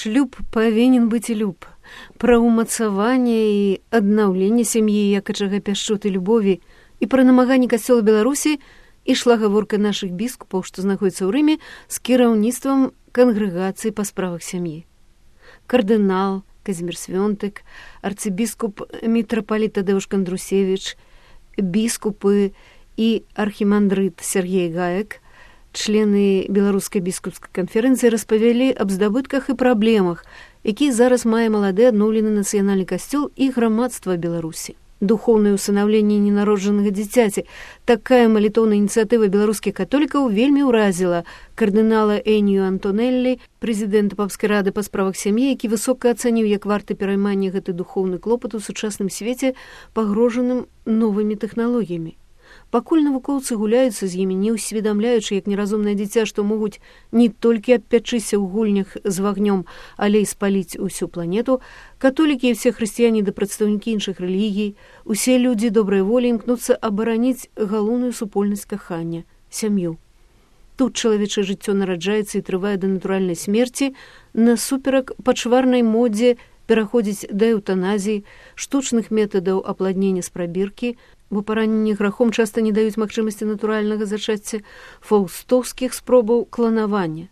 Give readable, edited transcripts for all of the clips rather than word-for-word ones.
Шлюб павінен быць люб. Пра ўмацаванне і аднаўленне сям'і як ачага пяшчоты любові і пра намаганні касцёла Беларусі ішла гаворка нашых біскупаў, што знаходзяцца ў Рыме, з кіраўніцтвам кангрэгацыі па справах сям'і. Кардынал Казімір Свёнтык, арцыбіскуп мітрапаліт Тадеуш Кандрусевіч, біскупы і архімандрыт Сергей Гаек, члены Беларускай біскупскай канферэнцыі распавялі аб здабытках і праблемах, які зараз мае малады адноўлены нацыянальны касцёл і грамадства Беларусі. Духоўнае ўсынаўленне ненароджанага дзіцяці. Такая малітоўная ініцыятыва беларускіх католікаў вельмі ўразіла кардынала Энію Антонеллі, прэзідэнта папскай рады па справах сям'і, які высока ацаніў, як варта пераймання гэты духоўны клопат у сучасным свеце, пагрожаным новымі тэхналогіямі. Пакуль навукоўцы гуляюцца з імі, не ўсведамляючы, як неразумнае дзіця, што могуць не толькі абпячыся ў гульнях з вагнём, але і спаліць усю планету, католікі і ўсе хрысціяне да прадстаўнікі іншых рэлігій, усе людзі добрай волі імкнуцца абараніць галоўную супольнасць кахання – сям'ю. Тут чалавечае жыццё нараджаецца і трывае да натуральнай смерці, насуперак пачварнай модзе пераходзіць да эўтаназіі, штучных метадаў апладнення з прабіркі, бо параненні грахом часта не даюць магчымасці натуральнага зачацця, фаўстоўскіх спробаў кланавання.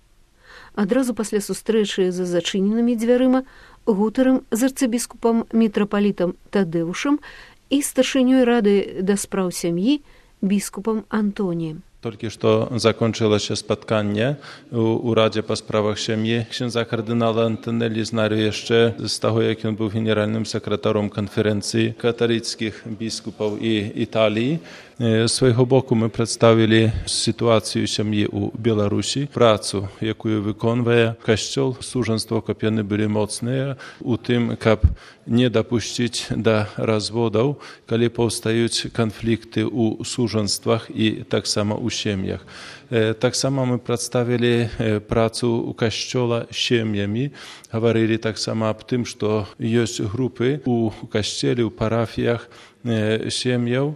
Адразу пасля сустрэчы за зачыненымі дзвярыма гутарам з арцыбіскупам мітрапалітам Тадеушам і старшынёй рады да спраў сям'і біскупам Антоніем. Толькі што закончылася спатканне у Раdzie па справах сям'і. Księdza кардынала Антонеллі знаю яшчэ з таго, як ён быў генеральным сакратаром канферэнцыі каталіцкіх біскупаў і Італіі. З свайго боку мы прадставілі сітуацыю сям'і ў Беларусі, працу, якую выконвае касцёл, сужанство, каб яны былі моцныя у тым, каб не дапусціць да разводаў, калі паўстаюць канфлікты ў сужанствах і таксама ў сем'ях. Таксама мы прадставілі працу ў касцёла сем'ямі, гаварылі таксама аб тым, што ёсць групы ў касцеле, ў парафіях сем'яў,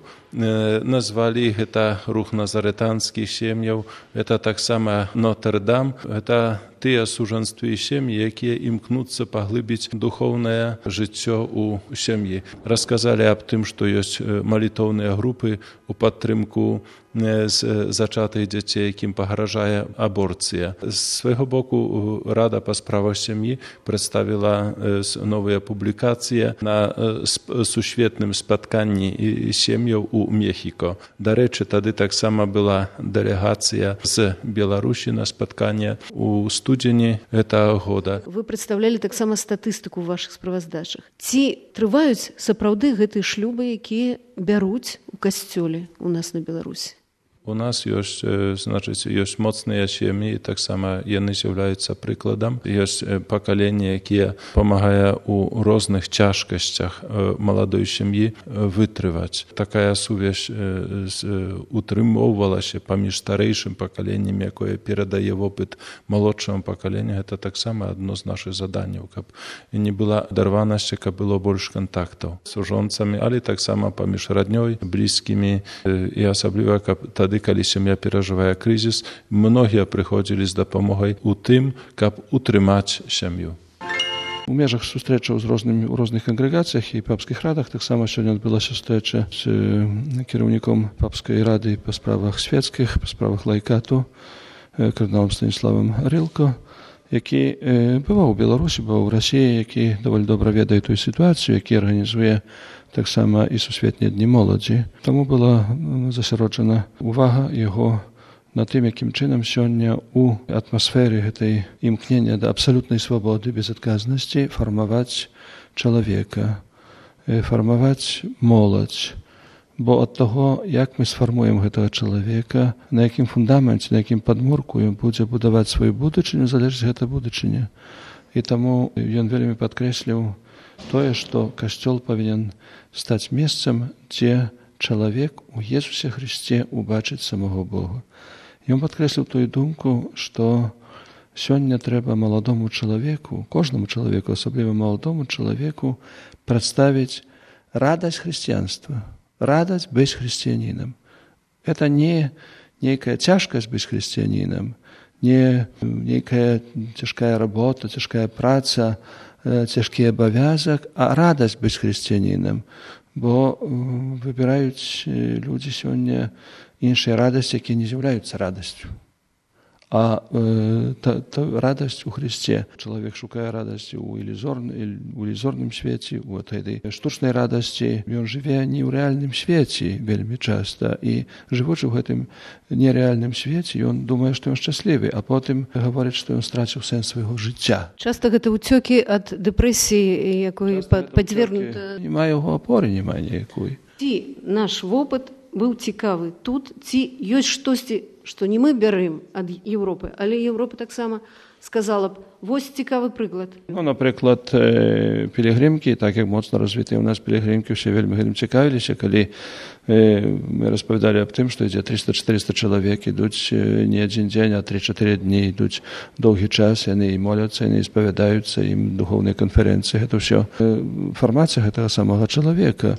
назвалі гэта рух назарэтанскіх сем'яў, гэта таксама Нотр-Дам, гэта тыя сужанствы і сем'і, якія імкнуцца паглыбіць духоўнае жыццё ў сям'і. Расказалі аб тым, што ёсць малітоўныя групы ў падтрымку зачатых дзяцей, якім пагражае аборцыя. З свайго боку Рада па справах сям'і прадставіла новыя публікацыі на сусветным спатканні сем'яў у Мехіко. Дарэчы, тады таксама была дэлегацыя з Беларусі на спатканне ў студзені гэтага года. Вы прадстаўлялі таксама статыстыку ў вашых справаздачах. Ці трываюць сапраўды гэтыя шлюбы, якія бяруць у касцёле у нас на Беларусі? У нас ёсць, ёсць моцныя сем'і, таксама яны з'яўляюцца прыкладам. Ёсць пакаленне, якія памагае ў розных цяжкасцях маладой сям'і вытрываць. Такая сувязь утрымоўвалася паміж старэйшым пакаленнем, якое перадае вопыт малодшаму пакаленню. Гэта таксама адно з нашых заданняў, каб не была адарванасці, каб было больш кантактаў з сужонцамі, але таксама паміж раднёй, блізкімі і асабліва, каб тады, калі сям'я перажывае крызіс, многія прыходзілі з дапамогай у тым, каб утрымаць сям'ю. У межах сустрэчаў у розных кангрэгацыях і папскіх радах таксама сёння адбылася сустрэча з кіраўніком папскай рады па справах свецкіх, па справах лайкату, кардыналам Станіславам Рылко, які бываў у Беларусі, бываў у Расіі, які даволі добра ведае тую сітуацыю, які арганізуе таксама і сусветныя дні моладзі. Таму была засяроджана увага яго на тым, якім чынам сёння у атмасферы гэтай імкнення да абсалютнай свабоды, безадказнасці фармаваць чалавека, фармаваць моладзь. Бо ад таго, як мы сфармуем гэтага чалавека, на якім фундаменце, на якім падмурку ён будзе будаваць сваю будучыню, залежыць гэта будучыня. І таму ён вельмі падкрэсліў тое, што касцёл павінен стаць месцам, дзе чалавек у Езусе Хрысце убачыць самого Бога. Ён падкрэсліў тую думку, што сёння трэба маладому чалавеку, кожнаму чалавеку, асабліва маладому чалавеку, прадставіць радасць хрысціянства, радасць быць хрысціянінам. Это не нейкая цяжкасць быць хрысціянінам, не некая цяжкая работа, цяжкая праца, цяжкі абавязак, а радасць быць хрысціянінам. Бо выбіраюць людзі сёння іншыя радасці, якія не з'яўляюцца радасцю. А радасць у Христе. Чалавек шукае радасці ў ілюзорным свеце, у гэтай штучнай радасці. Ён жыве не ў рэальным свеце вельмі часта. І жывучы ў гэтым нерэальным свеце, ён думае, што ён шчаслівы, а потым гаворыць, што ён страціў сэнс свайго жыцця. Часта гэта ўцёкі ад дэпрэсіі, якой падвергнута. Нема яго апоры, няма ніякой. Ці наш вопыт быў цікавы тут, ці ёсць штосьці, што не мы бярым ад Еўропы, але Еўропа таксама сказала б, вось цікавы прыклад. Напрыклад, пілігрымкі, так як моцна развітыя ў нас пілігрымкі, ўсе вельмі гэтым цікавіліся, калі мы распавядалі аб тым, што ідзе 300-400 чалавек, ідуць не адзін дзень, а 3-4 дні, ідуць доўгі час, яны і моляцца, яны і спавядаюцца, ім духоўныя канферэнцыі, гэта ўсё фармацыя гэтага самага чалавека.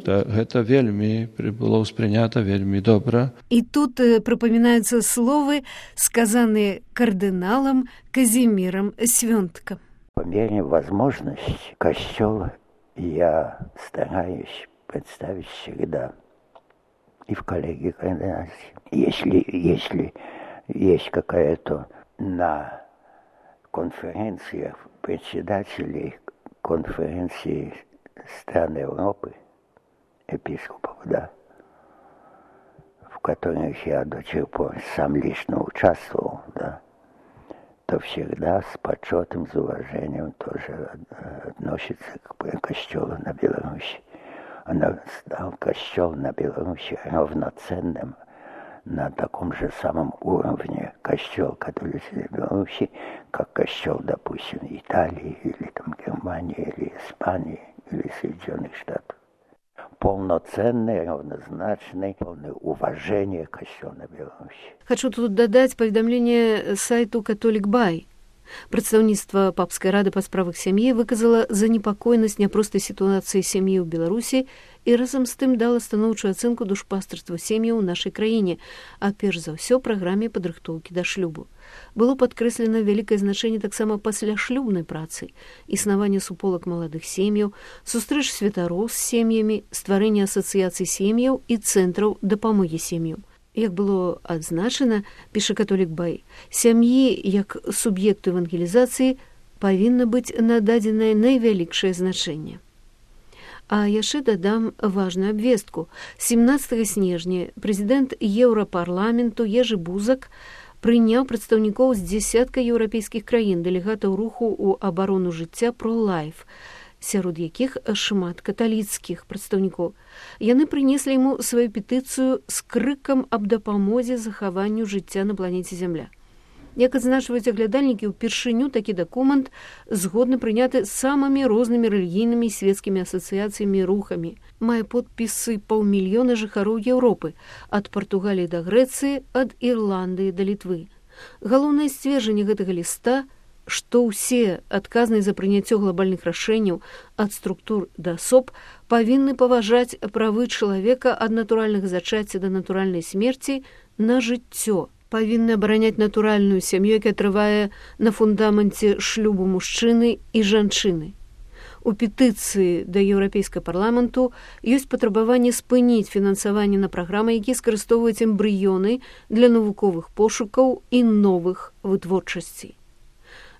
Гэта вельмі было ўспрынята, вельмі добра. І тут припоминаются словы, сказанные кардиналом Казимиром Свёнтком. По мере возможности костел я стараюсь представить всегда и в коллегии координации. Если есть какая-то на конференциях председателей конференции стран Европы, епископов, да, в которых я до сих пор сам лично участвовал, да, то всегда с почетом, с уважением тоже относится к костелу на Беларуси. Она стал костел на Беларуси равноценным на таком же самом уровне костел католической Беларуси, как костел, допустим, Италии, или там Германии, или Испании, или Соединенных Штатов. Полноценный, равнозначный, полное уважение к костелу на Беларуси. Хочу тут додать поведомление сайту «Католик Бай». Прадстаўніцтва папскай рады па справах сям'і выказала занепакоенасць няпростай сітуацыі сям'і ў Беларусі і разам з тым дала станоўчую ацэнку душпастарства сем'яў у нашай краіне, а перш за ўсё праграме падрыхтоўкі да шлюбу. Было падкрэслена вялікае значэнне таксама пасляшлюбнай працы, існаванне суполак маладых сем'яў, сустрэч святароў з сем'ямі, стварэнне асацыяцый сем'яў і цэнтраў дапамогі сем'ям. Як было адзначана, піша «Католик Бай», сям'і, як суб'екту евангелізацыі, павінна быць нададзенае найвялікшае значэнне. А яшчэ дадам важную абвестку. 17 снежня прэзідэнт Еўрапарламенту Ежы Бузак прыняў прадстаўнікоў з дзесятка еўрапейскіх краін, дэлегатаў руху ў абарону жыцця «Про-лайф», сярод якіх шмат каталіцкіх прадстаўнікоў. Яны прынеслі яму сваю петыцыю з крыкам аб дапамозе захаванню жыцця на планеце Зямля. Як адзначваюць аглядальнікі, упершыню такі дакумент згодны прыняты самымі рознымі рэлігійнымі і свецкімі асацыяцыямі і рухамі. Мае подпісы 500 000 жыхароў Еўропы, ад Партугаліі да Грэцыі, ад Ірландыі да Літвы. Галоўнае сцверджанне гэтага ліста, што ўсе адказныя за прыняццё глобальных рашэнняў ад структур да асоб павінны паважаць правы чалавека ад натуральнага зачацця да натуральнай смерці на жыццё, павінны абараняць натуральную сям'ю, якая трывае на фундаменце шлюбу мужчыны і жанчыны. У петыцыі да Еўрапейскага парламенту ёсць патрабаванне спыніць фінансаванне на праграмы, якія скарыстоўваюць эмбрыёны для навуковых пошукаў і новых вытворчасцей.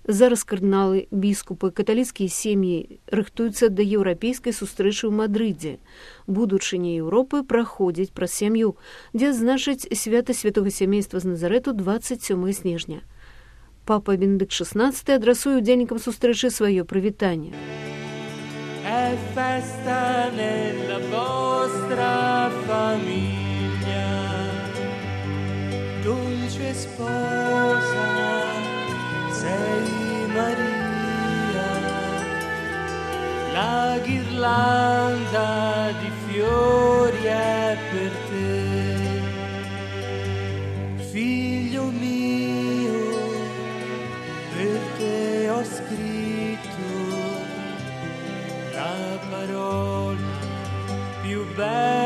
Зараз кардыналы, біскупы, каталіцкія сем'і рыхтуюцца да еўрапейскай сустрэчы ў Мадрыдзе. Будучыня Еўропы праходзіць праз сям'ю, дзе адзначаць свята святога сямейства з Назарэту 27 снежня. Папа Бенедыкт XVI адрасуе удзельнікам сустрэчы сваё прывітанне. È festa nella vostra famiglia, dolce sposa sei Maria, la ghirlanda di fiori è per te, figlio mio, per te ho scritto la parola più bella